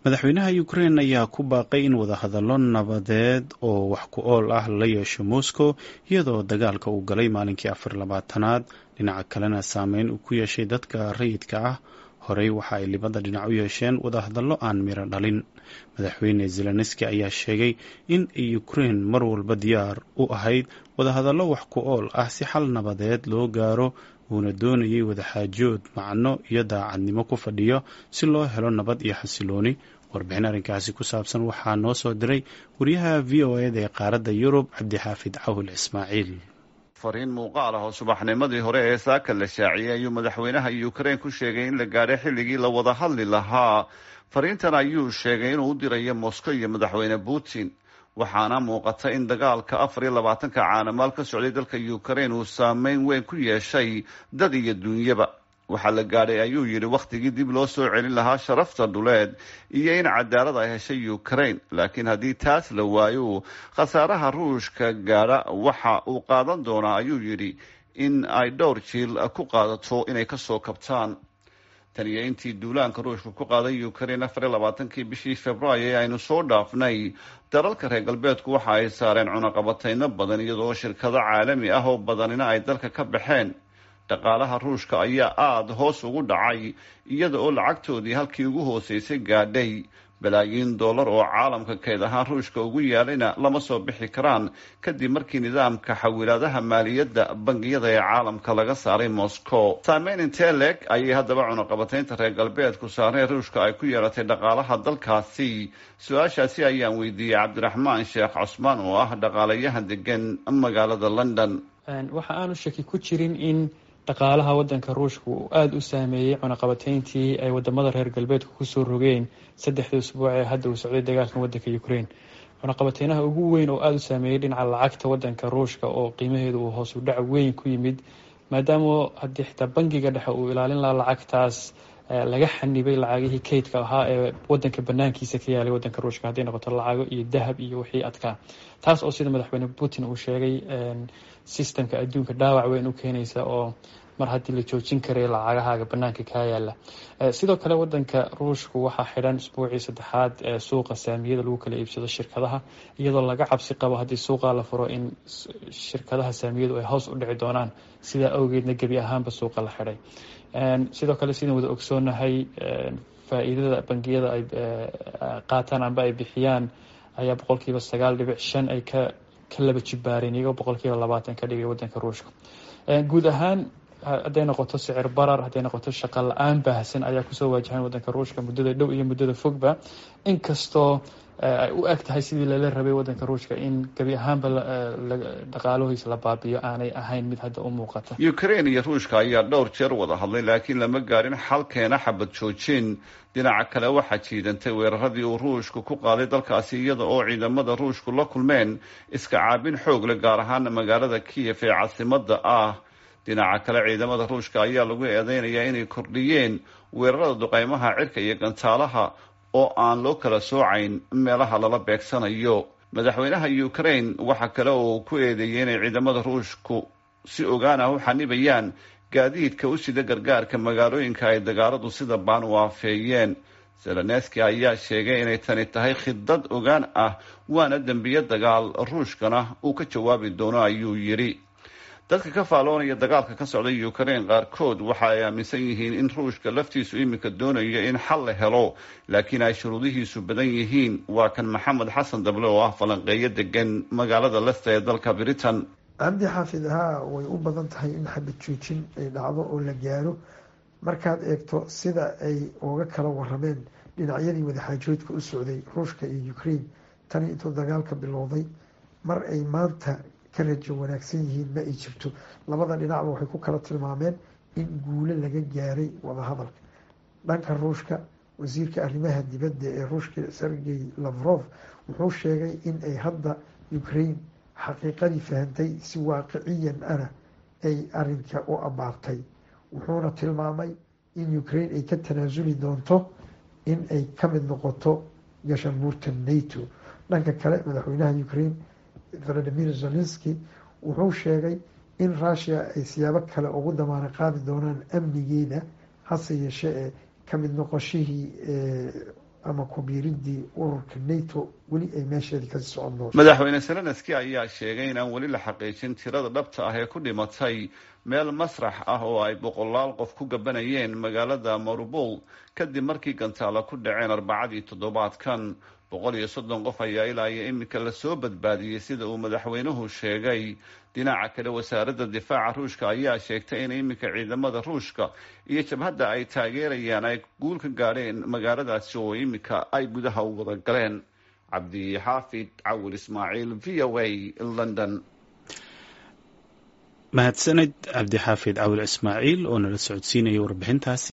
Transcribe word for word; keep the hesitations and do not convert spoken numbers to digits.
Madaxweynaha Ukraine ayaa ku baaqay in wadahadallo nabadeed oo wax ku ool ah lala yeesho Moscow, iyadoo dagaalka uu galay maalinkii afar labaatanaad, dhinaca kalena saameyn uu ku yeeshay dadka rayidka ah. Horey waxa ay libada dhinac u yeesheen wadahadallo aan miro dhalin. Madaxweyne Zelenski ayaa sheegay in Ukraine mar walba diyaar u ahayd wadahadallo wax ku ool ah si xal nabadeed loo gaaro, uuna doonayay wadaxaajood macno iyo daacadnimo ku fadhiyo si loo helo nabad iyo xasilooni. Warbixin arrinkaasi ku saabsan waxaa noo soo diray wariyaha V O E da ee qaaradda Yurub, Cabdixaafid Cawil Ismaaciil. Fariin muuqaal ah oo subaxnimadii hore ee saaka la shaaciyey ayuu madaxweynaha Ukraine ku sheegay in la gaadhay xilligii la wada hadli lahaa. Fariintan ayuu sheegay inuu u dirayo Moscow iyo madaxweyne Putin, waxaana muuqata in dagaalka afar iyo labaatanka caanamaal ka socday dalka Ukraine uu saameyn weyn ku yeeshay dad iyo dunyaba. Waxaa la gaadhay, ayuu yidhi, wakhtigii dib loo soo celin lahaa sharafta dhuleed iyo in cadaalad ay heshay Ukraine, laakiin haddii taas la waayo, khasaaraha Ruushka gaadha waxa uu qaadan doonaa, ayuu yidhi, in ay dhowr jiil ku qaadato inay kasoo kabtaan. Tan iyo intii duulaanka Ruushka ku qaaday Ukraine afar iyo labaatankii bishii Februaayo ee aynu soo dhaafnay, dalalka reer galbeedku waxa ay saareen cunaqabatayno badan, iyadoo shirkado caalami ah oo badanina ay dalka ka baxeen. Dhaqaalaha Ruushka ayaa aada hoos ugu dhacay, iyada oo lacagtoodii halkii ugu hooseysay gaadhay. Balaayiin dollar oo caalamka kayd ahaan Ruushka ugu yaalayna lama soo bixi karaan, kadib markii nidaamka xawilaadaha maaliyadda bangiyada ee caalamka laga saaray Moscow. Saameyn intee leeg ayay haddaba cunaqabataynta reer galbeedku saareen Ruushka ay ku yeelatay dhaqaalaha dalkaasi? Su-aashaasi ayaan weydiiyey Cabdiraxmaan Sheekh Cusmaan oo ah dhaqaalayahan degan magaalada London. Waxa aanu shaki ku jirin in dhaqaalaha wadanka Ruushka uu aada u saameeyey cunaqabateyntii ay wadamada reer galbeedka kusoo rogeen saddexdii usbuuc ee hadda uu socday dagaalkan wadanka Ukraine. Cunaqabateynaha ugu weyn oo aada u saameeyey dhinaca lacagta wadanka Ruushka oo qiimaheedu uu hoos u dhac weyn ku yimid, maadaama haddii xitaa bangiga dhexe uu ilaalin lahaa lacagtaas, laga xanibay lacagihii kaydka ahaa ee wadanka banaankiisa ka yaalay wadanka Ruushka, hadday noqoto lacago iyo dahab iyo wixii adkaa, taas oo sida madaxweyne Putin uu sheegay systemka adduunka dhaawac weyn u keenaysa, oo mar haddii la joojin karay lacagahaaga banaanka kaa yaala. Sidoo kale wadanka Ruushku waxaa xidhan isbuucii saddexaad ee suuqa saamiyada lagu kala iibsado shirkadaha, iyadoo laga cabsi qabo haddii suuqa la furo in shirkadaha saamiyadu ay hoos u dhici doonaan, sidaa awgeedna gebi ahaanba suuqa la xidhay. Sidoo kale, sidaan wada ogsoonahay, faa-iidada bangiyada ay qaataan amba ay bixiyaan ayaa boqolkiiba sagaal dhibic shan ay ka ka laba jibaareen, iyagoo boqolkiiba labaatan ka dhigay wadanka Ruushka. Guud ahaan, hadday noqoto sicir barar, hadday noqoto shaqo la-aan baahsan ayaa kusoo waajahan wadanka Ruushka muddada dhow iyo muddada fogba, inkastoo ay u eg tahay sidii lala rabay wadanka Ruushka in gebi ahaanba dhaqaalahoisa la baabiyo aanay ahayn mid hadda u muuqata. Ukraine iyo Ruushka ayaa dhowr jeer wada hadlay, laakiin lama gaarin xal keena xabad joojin. Dhinaca kale, waxaa jiidantay weeraradii uu Ruushku ku qaaday dalkaasi, iyada oo ciidamada Ruushku la kulmeen iska caabin xoog leh, gaar ahaan magaalada Kiyef ee caasimada ah. Dhinaca kale, ciidamada Ruushka ayaa lagu eedeynayaa inay kordhiyeen weerarada duqeymaha cirka iyo gantaalaha oo aan loo kala soocayn meelaha lala beegsanayo. Madaxweynaha Ukraine waxa kale oo ku eedeeyey inay ciidamada Ruushku si ogaan ah u xanibayaan gaadiidka u sida gargaarka magaalooyinka ay dagaaladu sida baan u aafeeyeen. Zelenski ayaa sheegay inay tani tahay khidad ogaan ah, waana dembiyo dagaal, Ruushkana uu ka jawaabi doono, ayuu yidhi. Dadka ka faaloonaya dagaalka ka socda Ukraine qaarkood waxa ay aaminsan yihiin in Ruushka laftiisu iminka doonayo in xal la helo, laakiin ay shuruudihiisu badan yihiin. Waa kan Maxamed Xasan Dable oo ah falanqeeyo degan magaalada Leicester ee dalka Britain. Cabdi Xaafid, haa, way u badan tahay in xabad joojin ay dhacdo oo la gaaro, markaad eegto sida ay uga kala warameen dhinacyadii wadaxaajoodka u socday Ruushka iyo Ukraine tani intuu dagaalka bilowday. Mar ay maanta ka rajo wanaagsan yihiin ma ay jirto. Labada dhinacba waxay ku kala tilmaameen in guulo laga gaaray wadahadalka. Dhanka Ruushka, wasiirka arrimaha dibadda ee Ruushka Sergey Lavrov wuxuu sheegay in ay hadda Ukraine xaqiiqadii fahantay, si waaqiciyan ana ay arinka u abaartay. Wuxuuna tilmaamay in Ukraine ay ka tanaasuli doonto in ay ka mid noqoto gashanbuurta NATO. Dhanka kale, madaxweynaha Ukraine Volodymyr Zelenski wuxuu sheegay in Russia ay siyaabo kale ugu damaana qaadi doonaan amnigeeda, hase yeeshee ee kamid noqoshihii ama kubiiridii ururka nato weli ay meesheedii kasii socon doonto. Madaxweyne Zelenski ayaa sheegay inaan weli la xaqiijin tirada dhabta ah ee ku dhimatay meel masrax ah oo ay boqolaal qof ku gabanayeen magaalada Mariupol kadib markii gantaala ku dhaceen arbacadii toddobaadkan. Boqol iyo soddon qof ayaa ilaa iyo iminka lasoo badbaadiyey, sida uu madaxweynuhu sheegay. Dhinaca kale, wasaaradda difaaca Ruushka ayaa sheegtay in iminka ciidamada Ruushka iyo jabhadda ay taageerayaan ay guul ka gaadheen magaaladaasi oo iminka ay gudaha u wada galeen. Cabdixaafid Cawil Ismaaciil, V O A, London. Mahadsaned Cabdixaafid Cawil Ismaaciil oo nala socodsiinaya warbixintaasi.